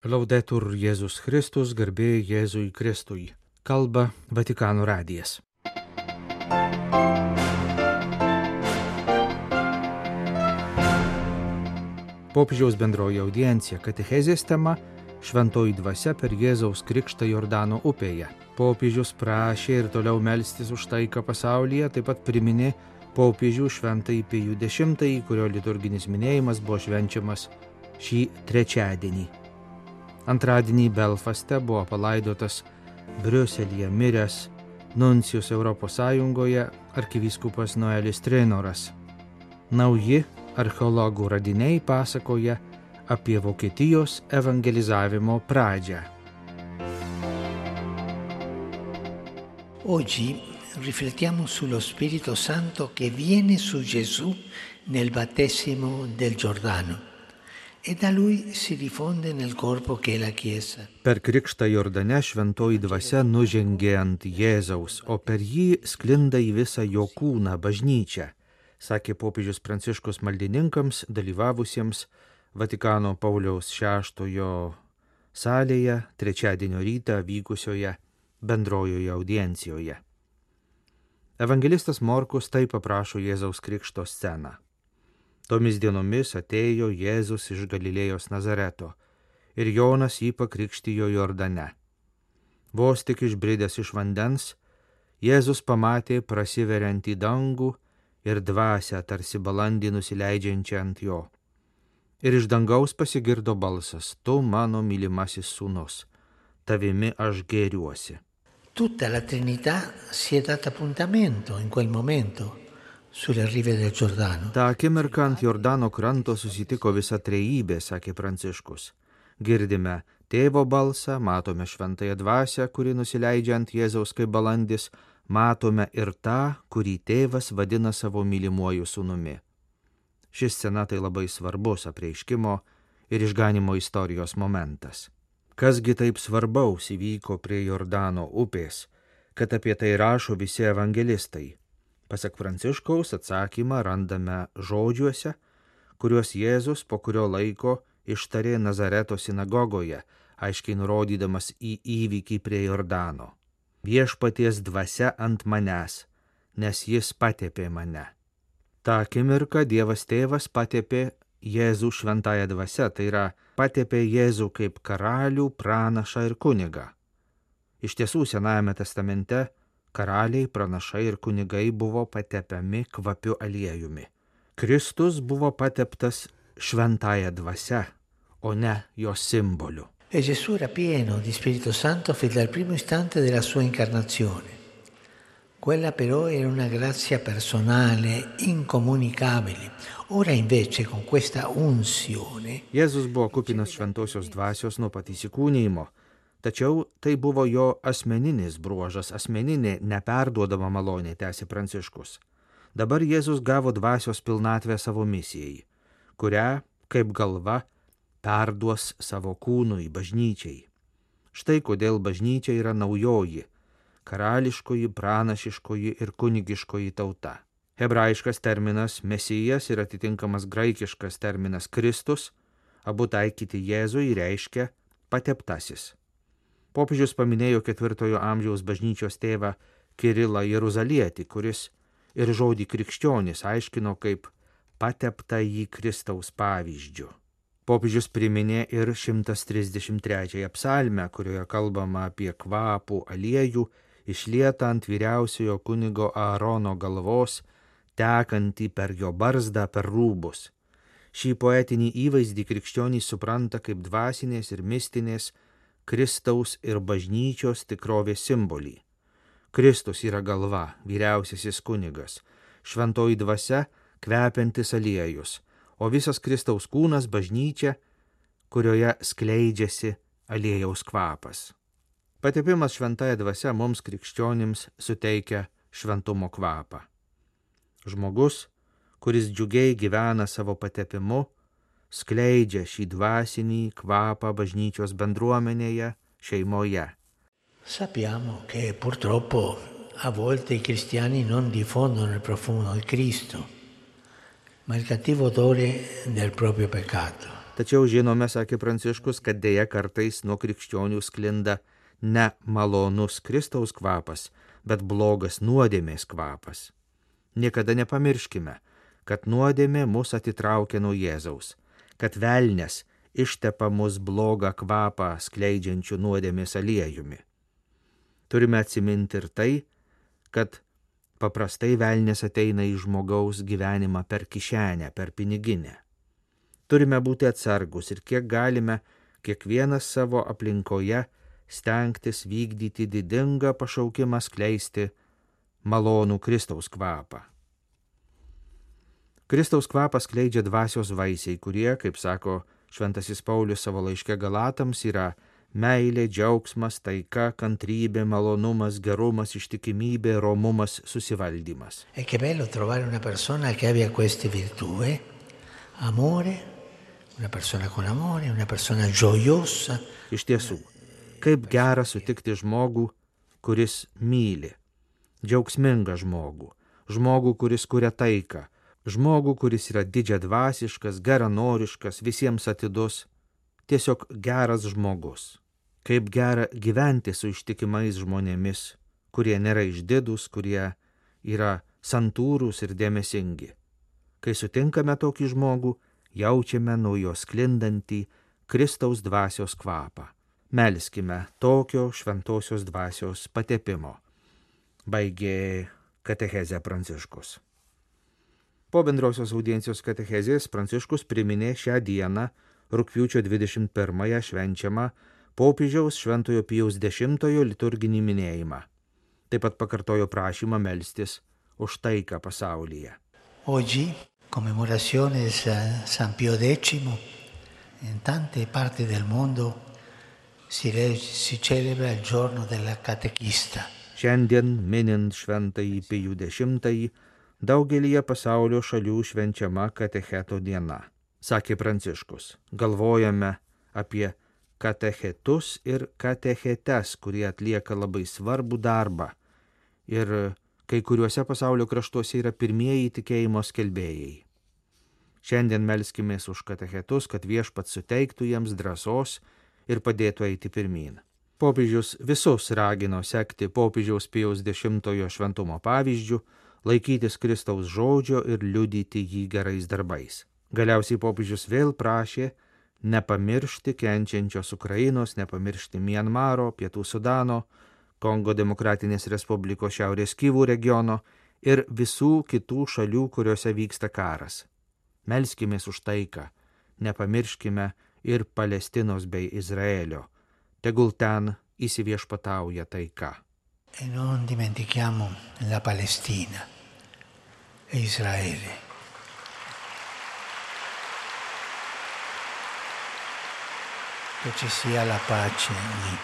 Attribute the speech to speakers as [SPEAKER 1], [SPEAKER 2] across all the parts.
[SPEAKER 1] Laudetur Jėzus Kristus, garbė Jėzui Kristui. Kalba Vatikano radijas. Popiežiaus bendroji audiencija katechezės tema Šventoji dvasia per Jėzaus krikštą Jordano upėje. Popiežius prašė ir toliau melstis už taiką pasaulyje, taip pat priminė popiežių Šventąjį Pijų X, kurio liturginis minėjimas buvo švenčiamas šį trečiadienį. Antradienį Belfaste buvo palaidotas Briuselyje miręs nuncijus Europos Sąjungoje arkivyskupas Noelis Trenoras. Nauji archeologų radiniai pasakoja apie Vokietijos evangelizavimo pradžią.
[SPEAKER 2] Oggi riflettiamo sullo Spirito Santo che viene su Gesù nel battesimo del Giordano. E da lui si diffonde nel corpo che è la Chiesa.
[SPEAKER 1] Per krikštą Jordane šventoji dvasia nužengė ant Jėzaus, o per jį sklinda į visą jo kūną bažnyčią, sakė popiežius Pranciškus maldininkams dalyvavusiems Vatikano Pauliaus VI salėje trečiadienio rytą vykusioje bendrojoje audiencijoje. Evangelistas Morkus taip aprašo Jėzaus krikšto sceną. Tomis dienomis atėjo Jėzus iš Galilėjos Nazareto ir Jonas jį pakrikštijo Jordane. Vos tik išbridęs iš vandens, Jėzus pamatė prasiveriantį dangų ir dvasią tarsi balandį nusileidžiančią ant jo. Ir iš dangaus pasigirdo balsas: Tu mano mylimasis sūnus, tavimi aš gėriuosi.
[SPEAKER 2] Tutta la Trinità si è data appuntamento in quel momento sulle rive del Giordano.
[SPEAKER 1] Ta akimirka ant Jordano kranto susitiko visa trejybė, sakė Pranciškus. Girdime tėvo balsą, matome šventąją dvasią, kuri nusileidžia ant Jėzaus kaip balandis, matome ir tą, kurį tėvas vadina savo mylimuoju sūnumi. Ši scena tai labai svarbus apreiškimo ir išganimo istorijos momentas. Kasgi taip svarbaus įvyko prie Jordano upės, kad apie tai rašo visi evangelistai? Pasak Pranciškaus atsakymą randame žodžiuose, kuriuos Jėzus po kurio laiko ištarė Nazareto sinagogoje, aiškiai nurodydamas į įvykį prie Jordano. Viešpaties dvasia ant manęs, nes jis patepė mane. Ta akimirka Dievas tėvas patepė Jėzų šventąją dvasią, tai yra patepė Jėzų kaip karalių, pranašą ir kunigą. Iš tiesų Senajame testamente karaliai, pranašai ir kunigai buvo patepiami kvapiu aliejumi. Kristus buvo pateptas šventąją dvasia, o ne jos simboliu.
[SPEAKER 2] E Gesù era pieno di Spirito Santo fin dal primo istante della sua incarnazione. Quella però era una grazia personale, incomunicabile. Ora invece con questa unzione.
[SPEAKER 1] Jėzus buvo kupinas šventosios dvasios nuo pat įsikūnijimo. Tačiau tai buvo jo asmeninis bruožas, asmeninė neperduodama malonė, tęsė Pranciškus. Dabar Jėzus gavo dvasios pilnatvę savo misijai, kurią, kaip galva, perduos savo kūnui, bažnyčiai. Štai kodėl bažnyčia yra naujoji, karališkoji, pranašiškoji ir kunigiškoji tauta. Hebrajiškas terminas Mesijas ir atitinkamas graikiškas terminas Kristus, abu taikyti Jėzui, reiškia pateptasis. Popiežius paminėjo 4 amžiaus bažnyčios tėvą Kirilą Jeruzalietį, kuris ir žodį krikščionis aiškino kaip pateptąjį Kristaus pavyzdžiu. Popiežius priminė ir 133 psalmę, kurioje kalbama apie kvapų aliejų išlietą ant vyriausiojo kunigo Aarono galvos, tekantį per jo barzdą per rūbus. Šį poetinį įvaizdį krikščionys supranta kaip dvasinės ir mistinės Kristaus ir bažnyčios tikrovės simbolį. Kristus yra galva, vyriausiasis kunigas, šventoji dvasia, kvepiantis aliejus, o visas Kristaus kūnas bažnyčia, kurioje skleidžiasi aliejaus kvapas. Patepimas šventąja dvasia mums krikščionims suteikia šventumo kvapą. Žmogus, kuris džiugiai gyvena savo patepimu, skleidžia šį dvasinį kvapą bažnyčios bendruomenėje, šeimoje.
[SPEAKER 2] Sappiamo che purtroppo a volte i cristiani non diffondono il profumo del Cristo, ma il cattivo odore del proprio peccato.
[SPEAKER 1] Tačiau žinome, sakė Pranciškus, kad dėja kartais nuo krikščionių sklinda ne malonus Kristaus kvapas, bet blogas nuodėmės kvapas. Niekada nepamirškime, kad nuodėmė mus atitraukia nuo Jėzaus, kad velnias ištepa mus blogą kvapą skleidžiančių nuodėmės aliejumi. Turime atsiminti ir tai, kad paprastai velnias ateina į žmogaus gyvenimą per kišenę, per piniginę. Turime būti atsargus ir kiek galime kiekvienas savo aplinkoje stengtis vykdyti didingą pašaukimą skleisti malonų Kristaus kvapą. Kristaus kvapą skleidžia dvasios vaisiai, kurie, kaip sako Šventasis Paulius savo laiške Galatams, yra meilė, džiaugsmas, taika, kantrybė, malonumas, gerumas, ištikimybė, romumas, susivaldymas.
[SPEAKER 2] E che bello trovare una persona che abbia queste virtù, amore, una persona con amore, una persona gioiosa.
[SPEAKER 1] Iš tiesų, kaip gera sutikti žmogų, kuris myli, džiaugsmingą žmogų, kuris kuria taiką, žmogų, kuris yra didžiadvasiškas, geranoriškas, visiems atidus, tiesiog geras žmogus. Kaip gera gyventi su ištikimais žmonėmis, kurie nėra išdidūs, kurie yra santūrūs ir dėmesingi. Kai sutinkame tokį žmogų, jaučiame nuo jo sklindantį Kristaus dvasios kvapą. Melskime tokio šventosios dvasios patepimo. Baigė katechezę Pranciškus. Po bendrosios audiencijos katechezės Pranciškus priminė šią dieną, rugpjūčio 21-ąją švenčiamą popiežiaus Šventojo Pijaus X liturginį minėjimą. Taip pat pakartojo prašymą melstis už taiką pasaulyje.
[SPEAKER 2] Oggi, commemorazione di San Pio X, in tante parti del mondo si celebra il giorno della catechista.
[SPEAKER 1] Šiandien minint Šventąjį Pijų X, daugelyje pasaulio šalių švenčiama katecheto diena. Sakė Pranciškus, galvojame apie katechetus ir katechetes, kurie atlieka labai svarbų darbą ir kai kuriuose pasaulio kraštuose yra pirmieji tikėjimo skelbėjai. Šiandien melskimės už katechetus, kad Viešpats suteiktų jiems drąsos ir padėtų eiti pirmyn. Popiežius visus ragino sekti popiežiaus Pijaus X šventumo pavyzdžių, laikytis Kristaus žodžio ir liudyti jį gerais darbais. Galiausiai popiežius vėl prašė nepamiršti kenčiančios Ukrainos, nepamiršti Mianmaro, Pietų Sudano, Kongo Demokratinės Respublikos Šiaurės Kyvų regiono ir visų kitų šalių, kuriuose vyksta karas. Melskimės už taiką, nepamirškime ir Palestinos bei Izraelio. Tegul ten įsiviešpatauja taika.
[SPEAKER 2] E non dimentichiamo la Palestina e Israele. Che ci sia la pace lì.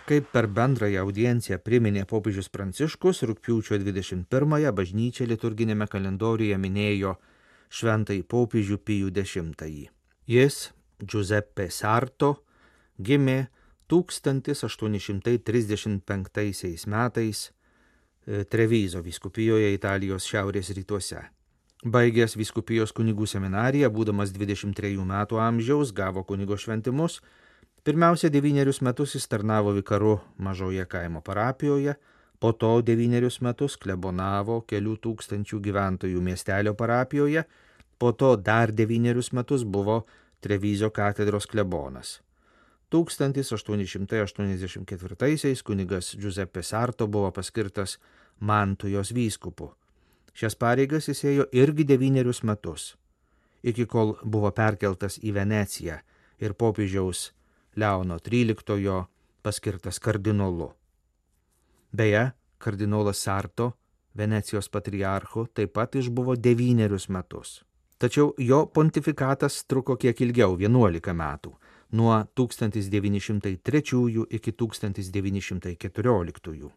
[SPEAKER 1] Kaip per bendrąją audienciją priminė popiežius Pranciškus, rugpjūčio 21-ąją bažnyčia liturginėme kalendoriuje minėjo Šventąjį popiežių Pijų X. Jis, Giuseppe Sarto, gimė 1835 metais Trevizo vyskupijoje Italijos šiaurės rytuose. Baigęs vyskupijos kunigų seminariją, būdamas 23 metų amžiaus, gavo kunigo šventimus. Pirmiausia, 9 metus jis tarnavo vikaru mažoje kaimo parapijoje, po to 9 metus klebonavo kelių tūkstančių gyventojų miestelio parapijoje, po to dar 9 metus buvo Trevizo katedros klebonas. 1884 kunigas Giuseppe Sarto buvo paskirtas Mantujos vyskupu. Šias pareigas jis ėjo irgi 9 metus, iki kol buvo perkeltas į Veneciją ir popiežiaus Leono XIII paskirtas kardinolu. Beje, kardinolas Sarto, Venecijos patriarchu, taip pat išbuvo 9 metus. Tačiau jo pontifikatas truko kiek ilgiau, 11 metų, nuo 1903 iki 1914.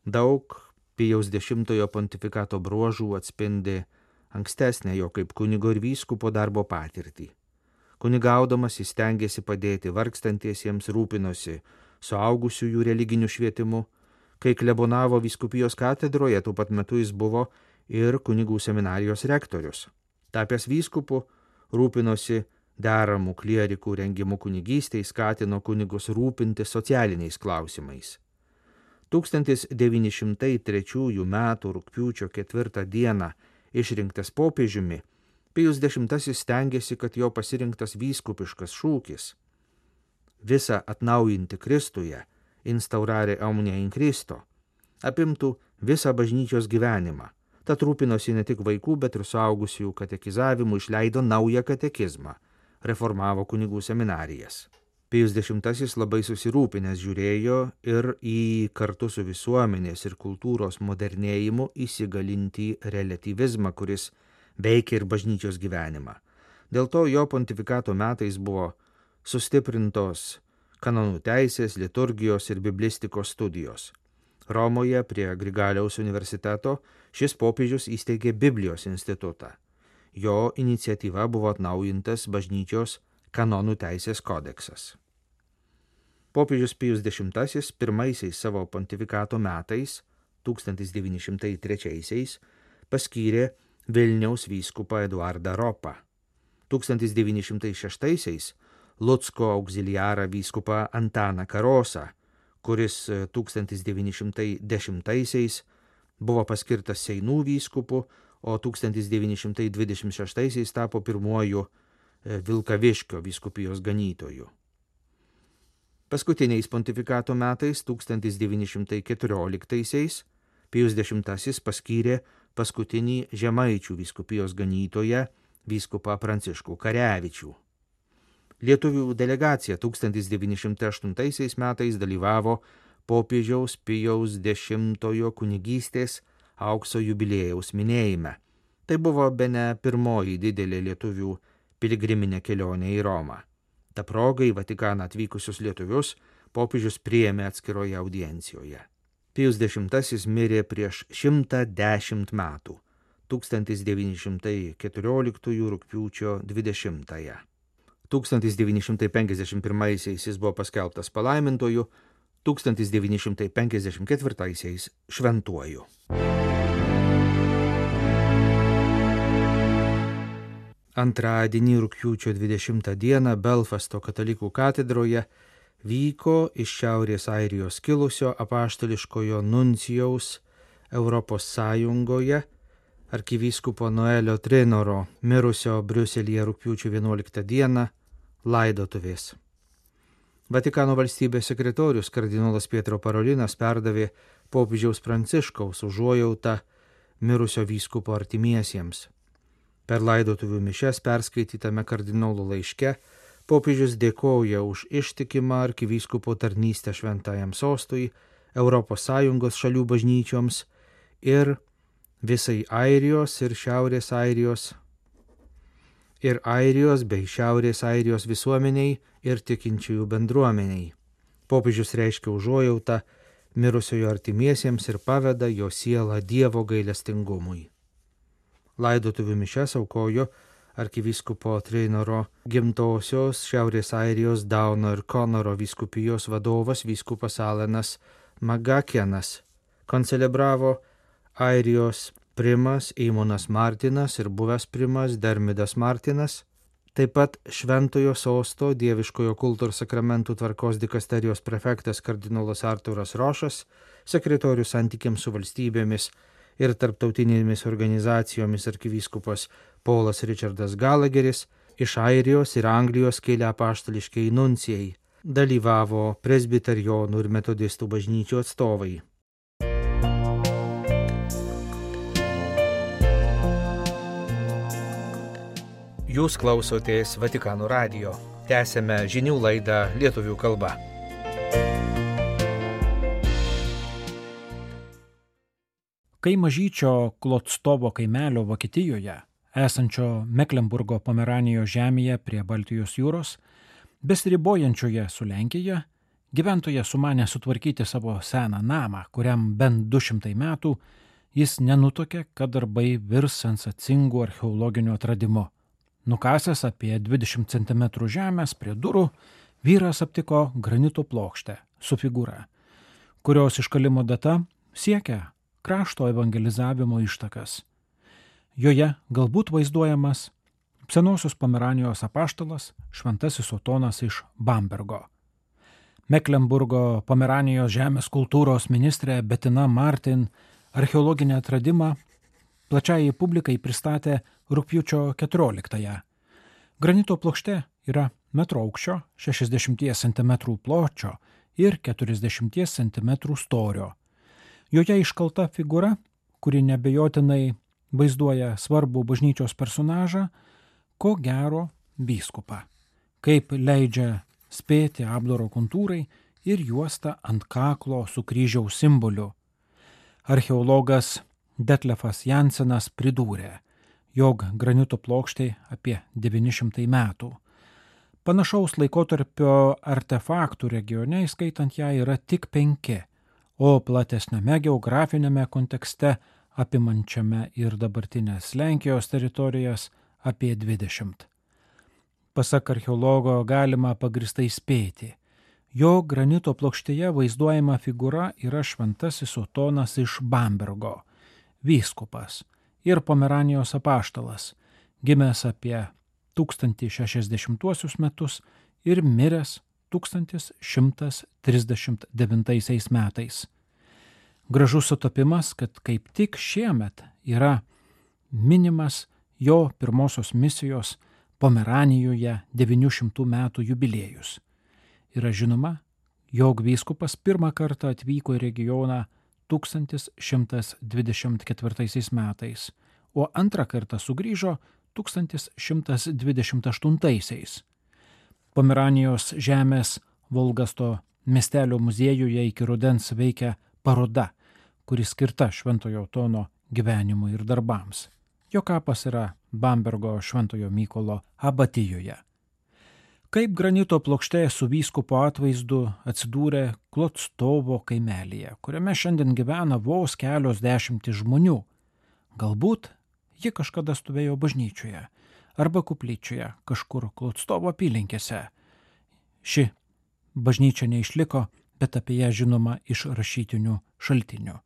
[SPEAKER 1] Daug Pijaus X pontifikato bruožų atspindi ankstesnę jo kaip kunigo ir vyskupo darbo patirtį. Kunigaudamas jis stengėsi padėti vargstantiesiems, rūpinosi suaugusiųjų religiniu švietimu. Kai klebonavo vyskupijos katedroje, tuo pat metu jis buvo ir kunigų seminarijos rektorius. Tapęs vyskupu, rūpinosi deramų klierikų rengimu kunigystei, skatino kunigus rūpinti socialiniais klausimais. 1903 m. rugpjūčio 4 d. išrinktas popiežiumi, Pijus X stengėsi, kad jo pasirinktas vyskupiškas šūkis "Visa atnaujinti Kristuje, instaurare omnia in Christo" apimtų visą bažnyčios gyvenimą. Tad rūpinosi ne tik vaikų, bet ir suaugusiųjų katekizavimu, išleido naują katekizmą, reformavo kunigų seminarijas. Pijus X labai susirūpinęs žiūrėjo ir į kartu su visuomenės ir kultūros modernėjimu įsigalintį relatyvizmą, kuris veikia ir bažnyčios gyvenimą. Dėl to jo pontifikato metais buvo sustiprintos kanonų teisės, liturgijos ir biblistikos studijos. Romoje prie Grigaliaus universiteto šis popiežius įsteigė Biblijos institutą. Jo iniciatyva buvo atnaujintas bažnyčios kanonų teisės kodeksas. Popiežius Pijus X pirmaisiais savo pontifikato metais, 1903, paskyrė Vilniaus vyskupą Eduardą Ropą. 1906 Lucko auxiliarą vyskupą Antaną Karosą, kuris 1910 buvo paskirtas Seinų vyskupu, o 1926 tapo pirmuoju Vilkaviškio vyskupijos ganytoju. Paskutiniais pontifikato metais, 1914, Pijus X paskyrė paskutinį Žemaičių vyskupijos ganytoją vyskupą Pranciškų Karevičių. Lietuvių delegacija 1908 metais dalyvavo popiežiaus Pijaus X kunigystės aukso jubiliejaus minėjime. Tai buvo bene pirmoji didelė lietuvių piligriminė kelionė į Romą. Ta proga į Vatikaną atvykusius lietuvius popiežius priėmė atskiroje audiencijoje. Pijus X mirė prieš 110 metų, 1914 rugpjūčio 20. 1951 jis buvo paskelbtas palaimintoju, 1954 šventuoju. Antradienį rugpjūčio 20 dieną Belfasto katalikų katedroje vyko iš Šiaurės Airijos kilusio apaštališkojo nuncijaus Europos Sąjungoje arkivyskupo Noelio Trinoro mirusio Briuselyje rugpjūčio 11 dieną laidotuvės. Vatikano valstybės sekretorius kardinolas Pietro Parolinas perdavė popiežiaus Pranciškaus užuojautą mirusio vyskupo artimiesiems. Per laidotuvių mišias perskaitytame kardinolo laiške popiežius dėkoja už ištikimą arkivyskupo tarnystę šventajam sostui, Europos Sąjungos šalių bažnyčioms ir visai Airijos ir Šiaurės Airijos bei Šiaurės Airijos visuomeniai ir tikinčiųjų bendruomeniai. Popiežius reiškia užuojautą mirusiojo artimiesiems ir paveda jo sielą Dievo gailestingumui. Laidotuvių mišias aukojo arkivyskupo Trinoro gimtosios Šiaurės Airijos Dauno ir Konoro vyskupijos vadovas vyskupas Alanas Magakenas. Koncelebravo Airijos primas Eimonas Martinas ir buvęs primas Dermidas Martinas, taip pat Šventojo sosto Dieviškojo kulto ir sakramentų tvarkos dikasterijos prefektas kardinolas Arturas Rošas, sekretorius santykiams su valstybėmis ir tarptautinėmis organizacijomis arkivyskupas Paulas Richardas Gallagheris, iš Airijos ir Anglijos kilę apaštališkieji nuncijai, dalyvavo presbiterijonų ir metodistų bažnyčių atstovai. Jūs klausotės Vatikano radijo. Tęsiame žinių laidą lietuvių kalba.
[SPEAKER 3] Kai mažyčio Klotstovo kaimelio Vokietijoje, esančio Meklenburgo Pomeranijos žemėje prie Baltijos jūros, besiribojančioje su Lenkija, gyventoja sumanė sutvarkyti savo seną namą, kuriam bent 200 metų, jis nenutuokė, kad darbai virs sensacingu archeologiniu atradimu. Nukasęs apie 20 cm žemės prie durų, vyras aptiko granito plokštę su figūra, kurios iškalimo data siekia krašto evangelizavimo ištakas. Joje galbūt vaizduojamas senosios Pomeranijos apaštalas šventasis Otonas iš Bambergo. Meklenburgo Pomeranijos žemės kultūros ministrė Bettina Martin archeologinį atradimą plačiai publikai pristatė rugpjūčio 14-ąją. Granito plokštė yra metro aukščio, 60 cm pločio ir 40 cm storio. Joje iškalta figūra, kuri nebejotinai vaizduoja svarbų bažnyčios personažą, ko gero vyskupą, kaip leidžia spėti apdaro kontūrai ir juosta ant kaklo su kryžiaus simboliu. Archeologas Detlefas Jansenas pridūrė, jog granito plokštė apie 900 metų. Panašaus laikotarpio artefaktų regione, įskaitant ją, yra tik 5, o platesniame geografinėme kontekste, apimančiame ir dabartinės Lenkijos teritorijas, apie 20. Pasak archeologo galima pagristai spėti, jog granito plokštėje vaizduojama figūra yra šventasis Otonas iš Bambergo, vyskupas ir Pomeranijos apaštalas, gimęs apie 1060 metus ir miręs 1139 metais. Gražus sutapimas, kad kaip tik šiemet yra minimas jo pirmosios misijos Pomeranijoje 900 metų jubiliejus. Yra žinoma, jog vyskupas pirmą kartą atvyko į regioną 1124 metais, o antrą kartą sugrįžo 1128. Pomeranijos žemės Volgasto miestelio muziejuje iki rudens veikia paroda, kuri skirta Šventojo Otono gyvenimui ir darbams. Jo kapas yra Bambergo Šventojo Mykolo abatijoje. Kaip granito plokštė su vyskupo atvaizdu atsidūrė Klotstovo kaimelyje, kuriame šiandien gyvena vos kelios dešimtys žmonių. Galbūt ji kažkada stovėjo bažnyčioje arba kuplyčioje kažkur Klotstovo apylinkėse. Ši bažnyčia neišliko, bet apie ją žinoma iš rašytinių šaltinių.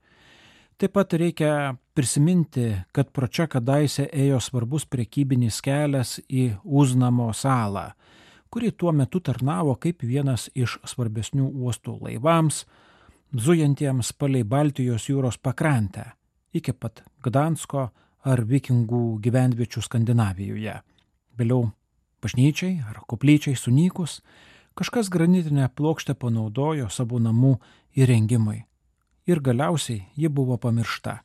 [SPEAKER 3] Taip pat reikia prisiminti, kad pro čia kadaise ėjo svarbus prekybinis kelias į Uznamo salą, kuri tuo metu tarnavo kaip vienas iš svarbesnių uostų laivams, zujantiems palei Baltijos jūros pakrantę, iki pat Gdansko ar vikingų gyvenviečių Skandinavijoje. Vėliau bažnyčiai ar koplyčiai sunykus, kažkas granitinę plokštę panaudojo savo namų įrengimui ir galiausiai ji buvo pamiršta.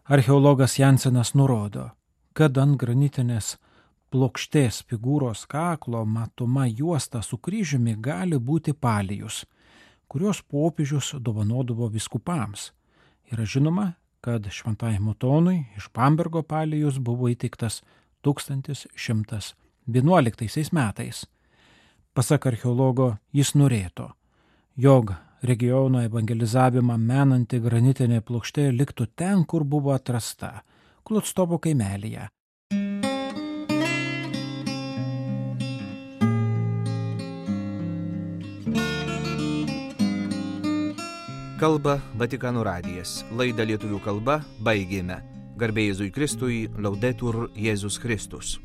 [SPEAKER 3] Archeologas Jansenas nurodo, kad ant granitinės plokštės figūros kaklo matoma juosta su kryžiumi gali būti palijus, kurios popiežius dovanodavo vyskupams. Yra žinoma, kad šventajam Otonui iš Bambergo palijus buvo įteiktas 1111 metais. Pasak archeologo, jis norėtų, jog regiono evangelizavimą menanti granitinė plokštė liktų ten, kur buvo atrasta, Klotstovo kaimelyje.
[SPEAKER 1] Kalba Vatikano radijas. Laidą lietuvių kalba baigėme. Garbė Jėzui Kristui, Laudetur Jėzus Kristus.